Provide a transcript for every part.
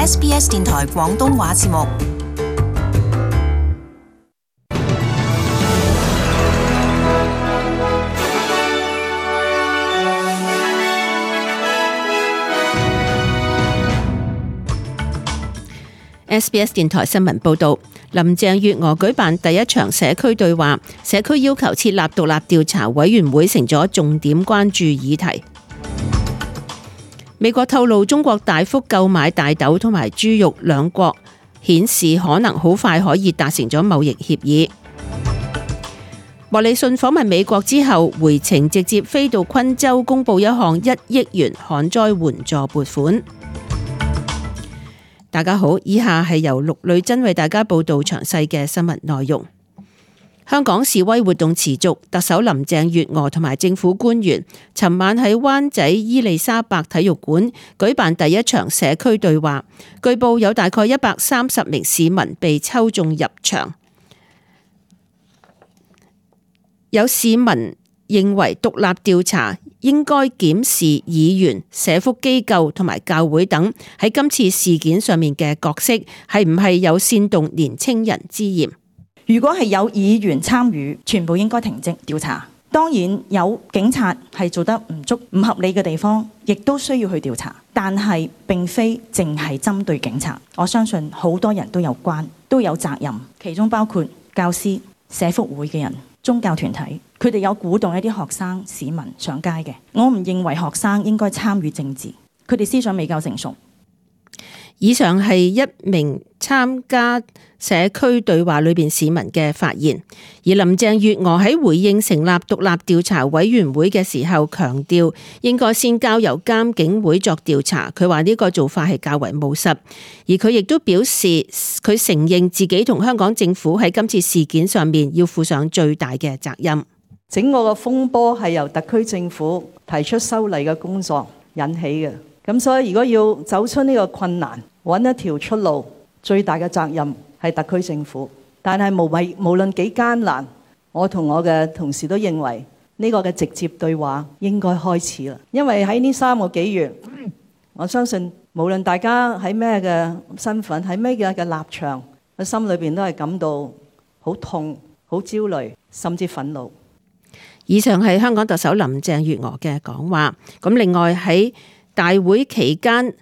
SBS 電台廣東話節目。SBS 電台新聞報道，林鄭月娥舉辦第一場社區對話，社區要求設立獨立調查委員會成咗重點關注議題。美國透露中國大幅購買大豆同埋豬肉，兩國顯示可能好快可以達成咗貿易協議。莫里遜訪問美國之後回程，直接飛到昆州公布一項1億元旱災援助撥款。大家好，以下係由陸女真為大家報道詳細嘅新聞內容。香港示威活動持續，特首林鄭月娥同埋政府官員尋晚喺灣仔伊利沙伯體育館舉辦第一場社區對話，據報有大概130名市民被抽中入場。有市民認為獨立調查應該檢視議員、社福機構同埋教會等喺今次事件上面嘅角色係唔係有煽動年青人之嫌。如果係有議員參與，全部應該停職調查。當然有警察係做得唔足、唔合理嘅地方，亦都需要去調查。但係並非淨係針對警察，我相信好多人都有關，都有責任，其中包括教師、社福會嘅人、宗教團體，佢哋有鼓動一啲學生、市民上街嘅。我唔認為學生應該參與政治，佢哋思想未夠成熟。以上係一名參加社區對話裏邊市民嘅發言，而林鄭月娥喺回應成立獨立調查委員會嘅時候強調，應該先交由監警會作調查。佢話呢個做法係較為務實，而佢亦都表示佢承認自己同香港政府喺今次事件上面要負上最大嘅責任。整個嘅風波係由特區政府提出修例嘅工作引起嘅。咁所以如果要走出呢個困難，揾一條出路，最大嘅責任係特區政府。但係無論幾艱難，我同我嘅同事都認為呢個嘅直接對話應該開始啦。因為喺呢3個幾月，我相信無論大家喺咩嘅身份，喺咩嘅立場，我心裏邊都係感到好痛、好焦慮，甚至憤怒。以上係香港特首林鄭月娥嘅講話。咁另外喺大會期間，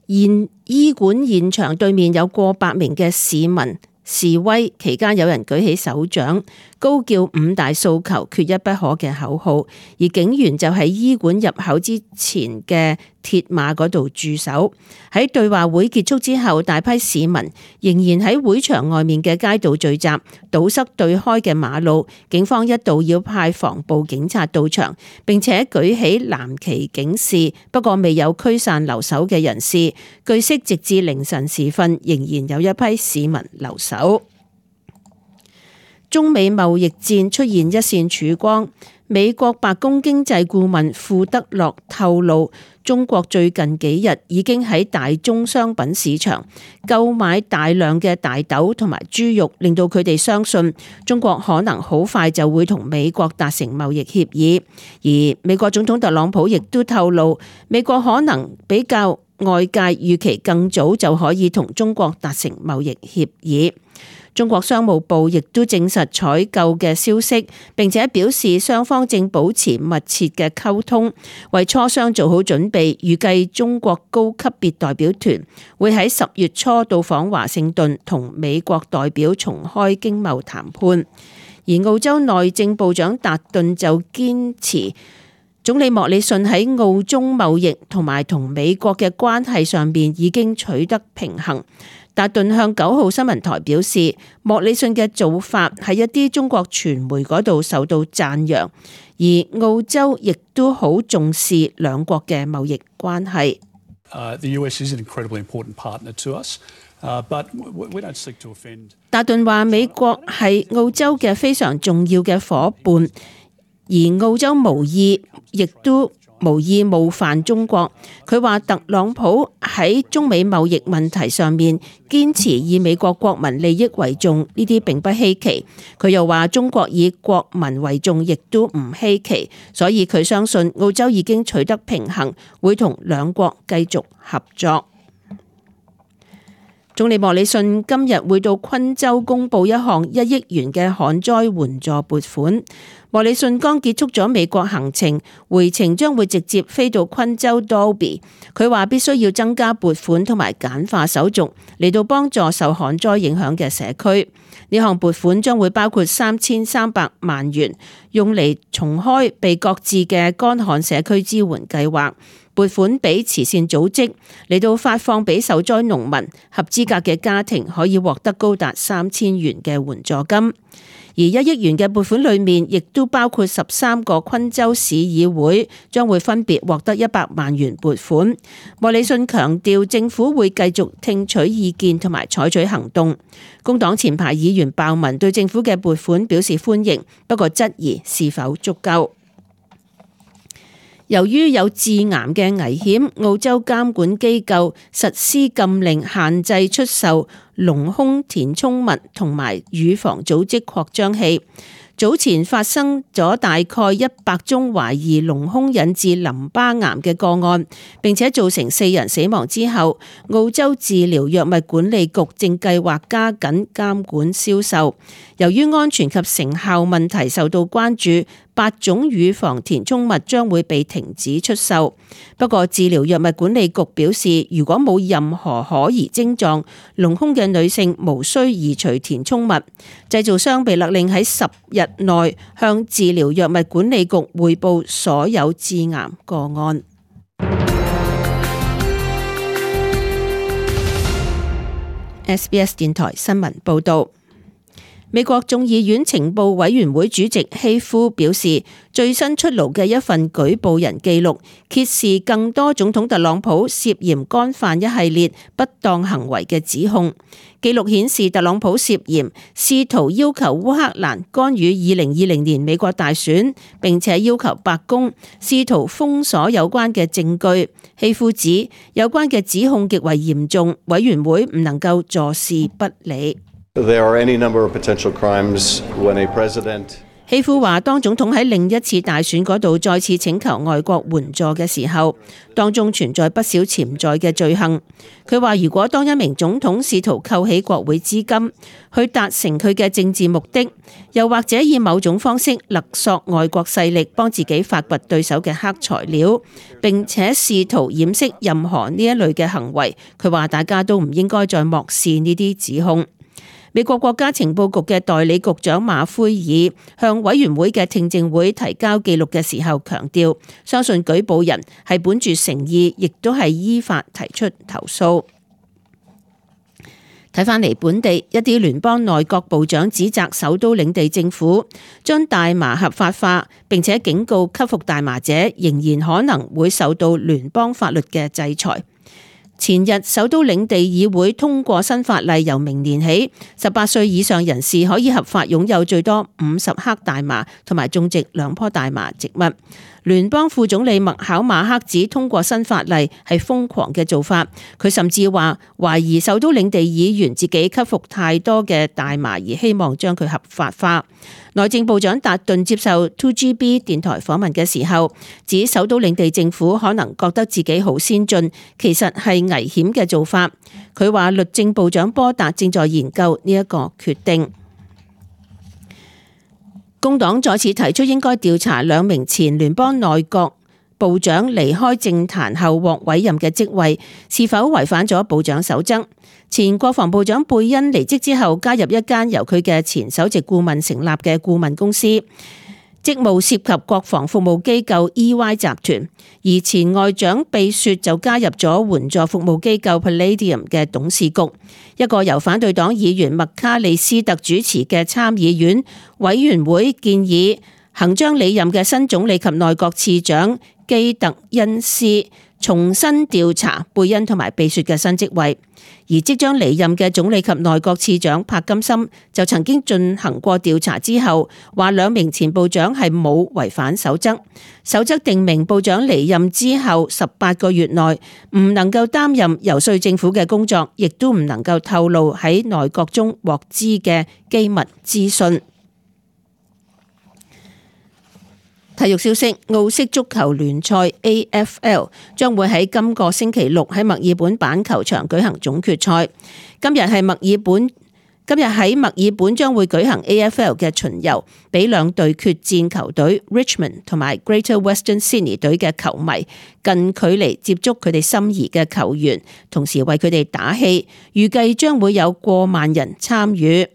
醫館現場對面有過百名嘅市民示威，期間有人舉起手掌，高叫5大訴求缺一不可嘅口號，而警員就喺醫館入口之前嘅鐵馬嗰度駐守。喺對話會結束之後，大批市民仍然喺會場外面嘅街道聚集，堵塞對開嘅馬路。警方一度要派防暴警察到場，並且舉起藍旗警示，不過未有驅散留守嘅人士。據悉，直至凌晨時分，仍然有一批市民留守。中美貿易戰出現一線曙光。美國白宮經濟顧問庫德洛透露，中國最近幾日已經喺大宗商品市場購買大量嘅大豆同埋豬肉，令到佢哋相信中國可能好快就會同美國達成貿易協議。而美國總統特朗普亦都透露，美國可能比較外界預期更早就可以同中國達成貿易協議。中國商務部亦都證實採購嘅消息，並且表示雙方正保持密切嘅溝通，為磋商做好準備。預計中國高級別代表團會喺10月初到訪華盛頓，同美國代表重開經貿談判。而澳洲內政部長達頓就堅持，總理莫里遜喺澳中貿易同埋同美國嘅關係上面已經取得平衡。達頓向9號新聞台表示，莫里遜嘅做法喺一啲中國傳媒嗰度受到讚揚，而澳洲亦都好重視兩國嘅貿易關係。達頓話美國係澳洲嘅非常重要嘅夥伴，而澳洲無意冒犯中國。佢話特朗普喺中美貿易問題上面堅持以美國國民利益為重，呢啲並不稀奇。佢又話中國以國民為重，亦都唔稀奇。所以佢相信澳洲已經取得平衡，會同兩國繼續合作。總理莫里遜今日會到昆州公布一項1億元嘅旱災援助撥款。莫里遜剛結束咗美國行程，回程將會直接飛到昆州 Dalby。佢話必須要增加撥款同埋簡化手續，嚟到幫助受旱災影響嘅社區。呢項撥款將會包括3300萬元，用嚟重開被擱置嘅乾旱社區支援計劃。撥款俾慈善組織，嚟到發放俾受災農民，合資格嘅家庭可以獲得高達3000元嘅援助金。而1億元嘅撥款裏面，亦都包括13個昆州市議會將會分別獲得100萬元撥款。莫里遜強調政府會繼續聽取意見同埋採取行動。工黨前排議員鮑文對政府嘅撥款表示歡迎，不過質疑是否足夠。由於有致癌嘅危險，澳洲監管機構實施禁令，限制出售隆胸填充物同埋乳房組織擴張器。早前發生咗大概100宗懷疑隆胸引致淋巴癌嘅個案，並且造成4人死亡之後，澳洲治療藥物管理局正計劃加緊監管銷售。由於安全及成效問題受到關注，8種乳房填充物將會被停止出售。不過治療藥物管理局表示，如果冇任何可疑症狀，隆胸嘅女性無需移除填充物。製造商被勒令喺10日內向治療藥物管理局匯報所有致癌個案。SBS 電台新聞報道。美國眾議院情報委員會主席希夫表示，最新出爐嘅一份舉報人記錄揭示更多總統特朗普涉嫌干犯一系列不當行為嘅指控。記錄顯示，特朗普涉嫌試圖要求烏克蘭干預2020年美國大選，並且要求白宮試圖封鎖有關嘅證據。希夫指有關嘅指控極為嚴重，委員會唔能夠坐視不理。There are any number of potential crimes when a president 希夫話，當總統喺另一次大選嗰度再次請求外國援助嘅時候，當中存在不少潛在嘅罪行。佢話，如果當一名總統試圖扣起國會資金去達成佢嘅政治目的，又或者以某種方式勒索外國勢力幫自己發掘對手嘅黑材料，並且試圖掩飾任何呢一類嘅行為，佢話大家都唔應該再漠視呢啲指控。美國國家情報局嘅代理局長馬奎爾向委員會嘅聽證會提交記錄嘅時候強調，相信舉報人係本住誠意，亦都係依法提出投訴。睇返嚟本地，一啲聯邦內閣部長指責首都領地政府將大麻合法化，並且警告吸服大麻者仍然可能會受到聯邦法律嘅制裁。前日，首都領地議會通過新法例，由明年起，18歲以上人士可以合法擁有最多50克大麻，同埋種植2棵大麻植物。聯邦副總理麥考馬克指通過新法例係瘋狂嘅做法，佢甚至話懷疑首都領地議員自己吸服太多嘅大麻，而希望將佢合法化。內政部長達頓接受 2GB 電台訪問嘅時候，指首都領地政府可能覺得自己好先進，其實係危險嘅做法。佢話律政部長波達正在研究呢一個決定。工黨再次提出應該調查2名前聯邦內閣部長離開政壇後獲委任嘅職位是否違反咗部長守則。前國防部長貝恩離職之後，加入一間由佢嘅前首席顧問成立嘅顧問公司，職務涉及國防服務機構 EY 集團，而前外長貝雪就加入咗援助服務機構 Palladium 嘅董事局。一個由反對黨議員麥卡利斯特主持嘅參議院委員會建議行將離任嘅新總理及內閣次長基特恩斯重新調查貝恩同埋貝雪嘅新職位。而即將離任嘅總理及內閣次長柏金森就曾經進行過調查之後，話2名前部長係冇違反守則。守則定明部長離任之後18個月內唔能夠擔任游說政府嘅工作，亦都唔能夠透露喺內閣中獲知嘅機密資訊。體育消息，澳式足球聯賽 AFL 將會喺今個星期六喺墨爾本板球場舉行總決賽。今日喺墨爾本將會舉行 AFL 嘅巡遊，俾兩隊決戰球隊 Richmond 同埋 Greater Western Sydney 隊嘅球迷近距離接觸佢哋心儀嘅球員，同時為佢哋打氣。預計將會有過萬人參與。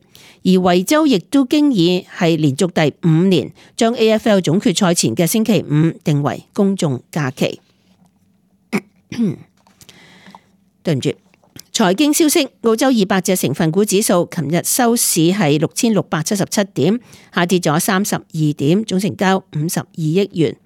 而維州亦都經已係連續第5年將 AFL 總決賽前嘅星期五定為公眾假期。對唔住，財經消息，澳洲200隻成分股指數琴日收市係6677點，下跌咗32點，總成交52億元。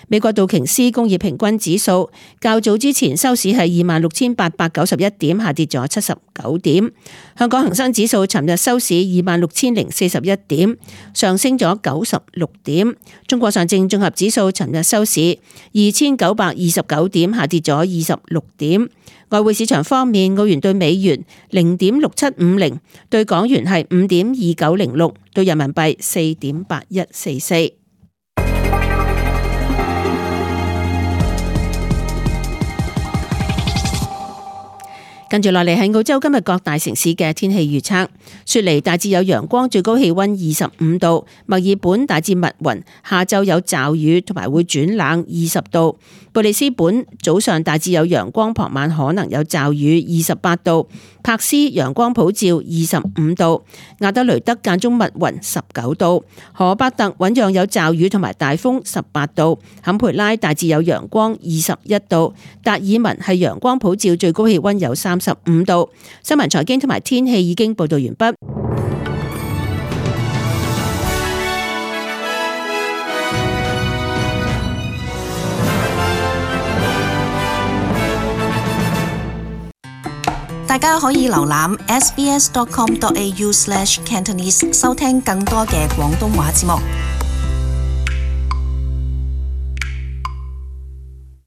美國道瓊斯工業平均指數較早之前收市係26,891點，下跌咗79點。香港恒生指數尋日收市26,041點，上升咗96點。中國上證綜合指數尋日收市2,929點，下跌咗26點。外匯市場方面，澳元對美元0.6750，對港元係5.2906，對人民幣4.8144。跟住落嚟係澳洲今日各大城市嘅天氣預測。雪梨大致有陽光，最高氣溫25度；墨爾本大致密雲，下晝有驟雨同埋會轉冷20度；布里斯本早上大致有陽光，傍晚可能有驟雨28度；柏斯陽光普照25度；亞德雷德間中密雲19度；荷伯特穩樣有驟雨同埋大風18度；坎培拉大致有陽光21度；達爾文係陽光普照，最高氣溫有35度。新聞財經同埋天氣已經報道完畢。大家可以瀏覽 sbs.com.au/cantonese 收聽更多嘅廣東話節目。